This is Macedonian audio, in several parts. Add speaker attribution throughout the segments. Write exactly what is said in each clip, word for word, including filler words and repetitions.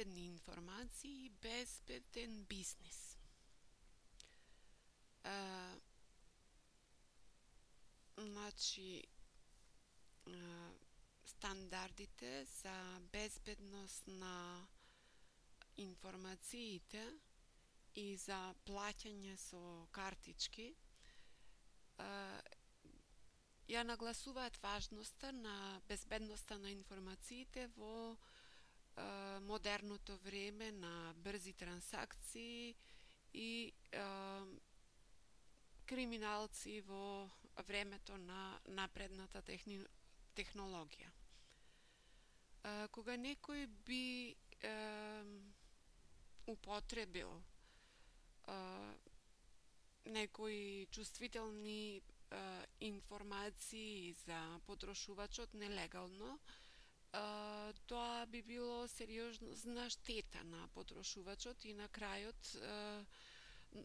Speaker 1: безбедни информации и безбеден бизнис. А, значи, а, стандардите за безбедност на информациите и за плаќање со картички а, ја нагласуваат важноста на безбедноста на информациите во а, модерното време на брзи трансакции и а, криминалци во времето на напредната техни... технологија. А, кога некој би а, употребил а, некои чувствителни а, информации за потрошувачот нелегално, а, тоа би било сериозна штета на потрошувачот и на крајот а,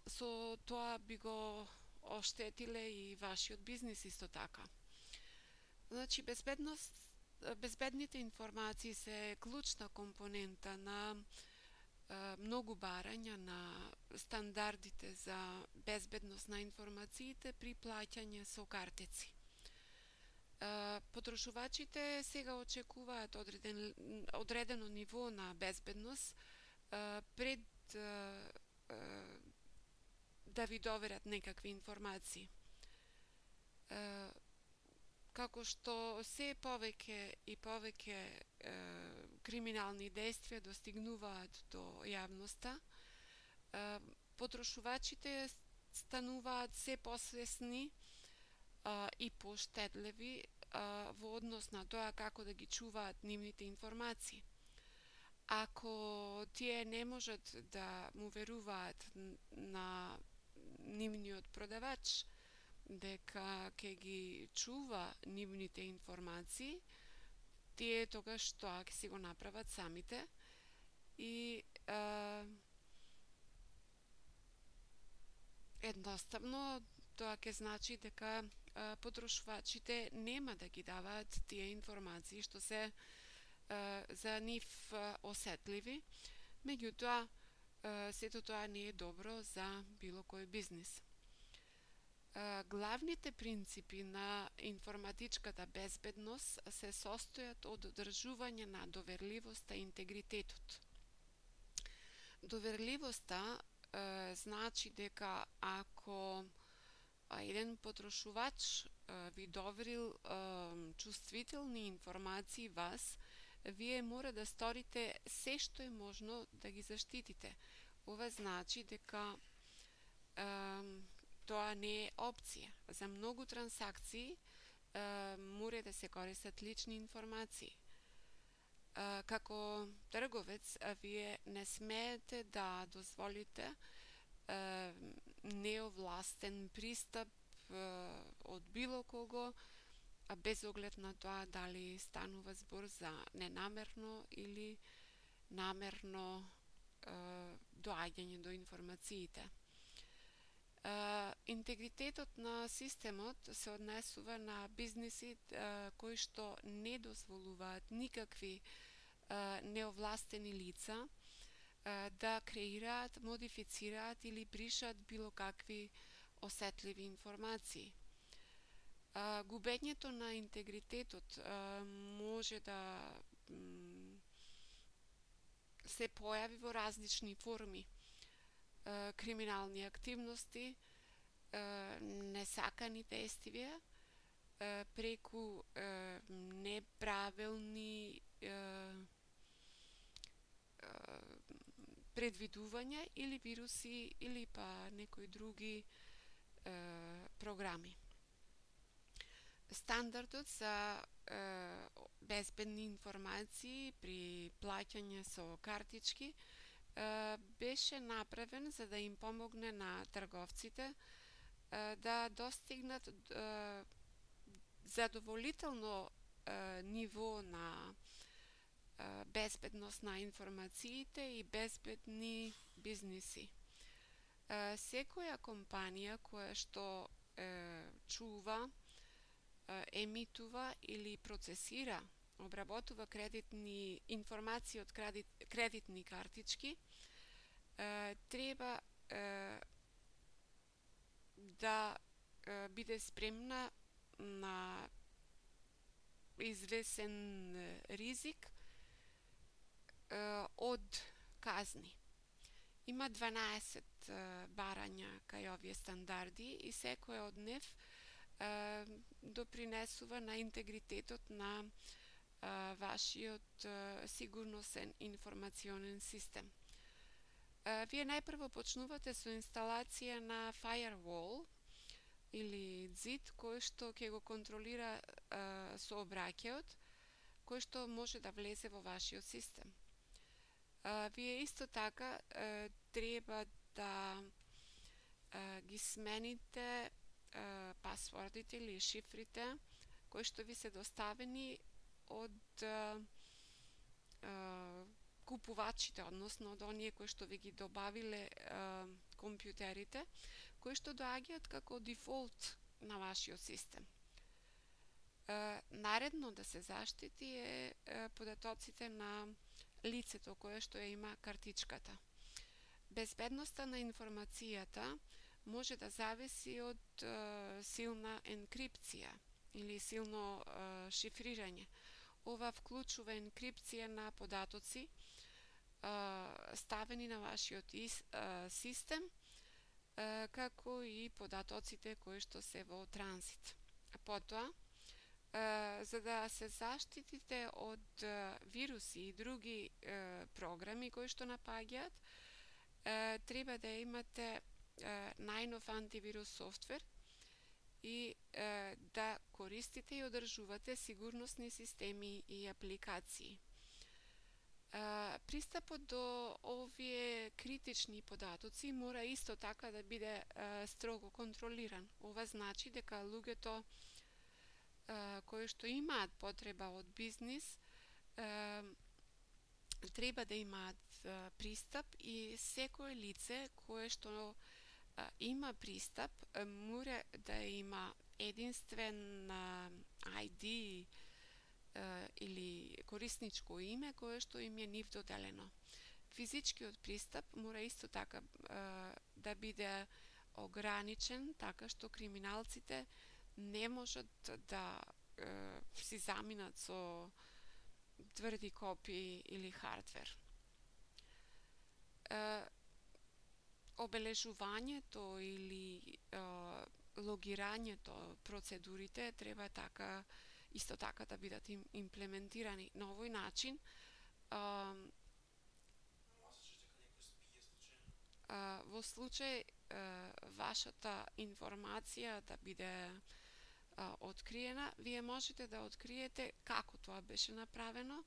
Speaker 1: со тоа би го оштетиле и вашиот бизнис исто така. Значи, безбедност, безбедните информации се клучна компонента на а, многу барања на стандардите за безбедност на информациите при плаќање со картици. А, потрошувачите сега очекуваат одреден, одредено ниво на безбедност а, пред а, а, да ви доверат некакви информации. А, како што се повеќе и повеќе е, криминални действија достигнуваат до јавноста, е, потрошувачите стануваат се посвесни а, и поштедливи а, во однос на тоа како да ги чуваат нивните информации. Ако тие не можат да му веруваат на нивниот продавач дека ќе ги чува нивните информации, тие тогаш тоа ќе си го направат самите и а, едноставно тоа ќе значи дека а, потрошувачите нема да ги даваат тие информации што се а, за нив а, осетливи, меѓутоа а, сето тоа не е добро за било кој бизнис. Главните принципи на информатичката безбедност се состојат од одржување на доверливоста и интегритетот. Доверливоста е, значи дека ако еден потрошувач е, ви доверил е, чувствителни информации вас, вие мора да сторите се што е можно да ги заштитите. Ова значи дека е, тоа не е опција. За многу трансакции е, мора да се користат лични информации. Е, како трговец, вие не смеете да дозволите е, неовластен пристап е, од било кого, без оглед на тоа дали станува збор за ненамерно или намерно е, доаѓање до информациите. Uh, интегритетот на системот се однесува на бизниси uh, кои што не дозволуваат никакви uh, неовластени лица uh, да креираат, модифицираат или бришат било какви осетливи информации. Uh, губењето на интегритетот uh, може да mm, се појави во различни форми. Криминални активности, несакани действија, преку неправилни предвидувања или вируси или па некои други програми. Стандардот за безбедни информации при плаќање со картички беше направен за да им помогне на трговците да достигнат задоволително ниво на безбедност на информациите и безбедни бизниси. Секоја компанија која што чува, емитува или процесира обработува кредитни информации од кредит, кредитни картички, е, треба е, да е, биде спремна на извесен ризик е, од казни. Има дванаесет е, барања кај овие стандарди и секој од нив е, допринесува на интегритетот на е, вашиот е, сигурносен информационен систем. Е, вие најпрво почнувате со инсталација на firewall или зид кој што ќе го контролира е, сообраќајот, кој што може да влезе во вашиот систем. Uh, вие исто така uh, треба да uh, ги смените uh, пасвордите или шифрите кои што ви се доставени од uh, uh, купувачите, односно од оние кои што ви ги добавиле uh, компјутерите, кои што доаѓаат како дефолт на вашиот систем. Uh, наредно да се заштити е uh, податоците на лицето кое што ја има картичката. Безбедноста на информацијата може да зависи од е, силна енкрипција или силно е, шифрирање. Ова вклучува енкрипција на податоци е, ставени на вашиот ис, е, систем, е, како и податоците кои што се во транзит. Потоа, Uh, за да се заштитите од uh, вируси и други uh, програми кои што напаѓаат, uh, треба да имате uh, најнов антивирус софтвер и uh, да користите и одржувате сигурносни системи и апликации. Uh, пристапот до овие критични податоци мора исто така да биде uh, строго контролиран. Ова значи дека луѓето кои што имаат потреба од бизнис треба да имаат пристап и секое лице кое што има пристап мора да има единствен ај ди или корисничко име кое што им е нив доделено. Физичкиот пристап мора исто така да биде ограничен така што криминалците не можат да е, си заминат со тврди копии или хардвер. Е, обележувањето или е, логирањето, процедурите треба така исто така да бидат им, имплементирани на овој начин. Е, е, во случај е, вашата информација да биде откриена, вие можете да откриете како тоа беше направено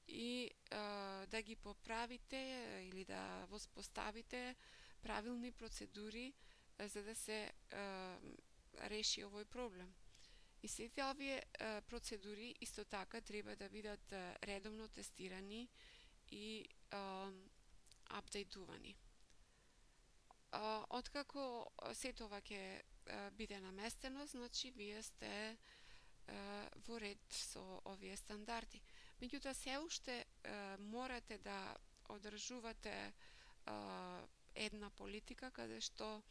Speaker 1: и а, да ги поправите или да воспоставите правилни процедури а, за да се а, реши овој проблем. И сите овие а, процедури исто така треба да бидат а, редовно тестирани и а, апдейтувани. А, откако сето ова ќе биде наместено, значи вие сте е, во ред со овие стандарди. Меѓутоа се уште е, морате да одржувате е, една политика каде што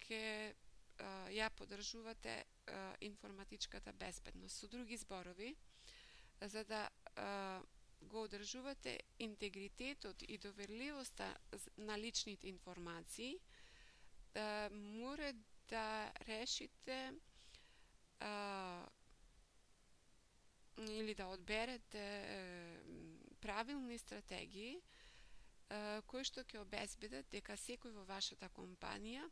Speaker 1: ќе ја поддржувате е, информатичката безбедност. Со други зборови, за да е, го одржувате интегритетот и доверливоста на личните информации, да мора да решите а, или да одберете а, правилни стратегии а, кои што ќе обезбедат дека секој во вашата компанија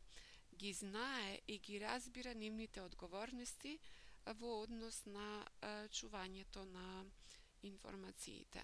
Speaker 1: ги знае и ги разбира нивните одговорности во однос на а, чувањето на информациите.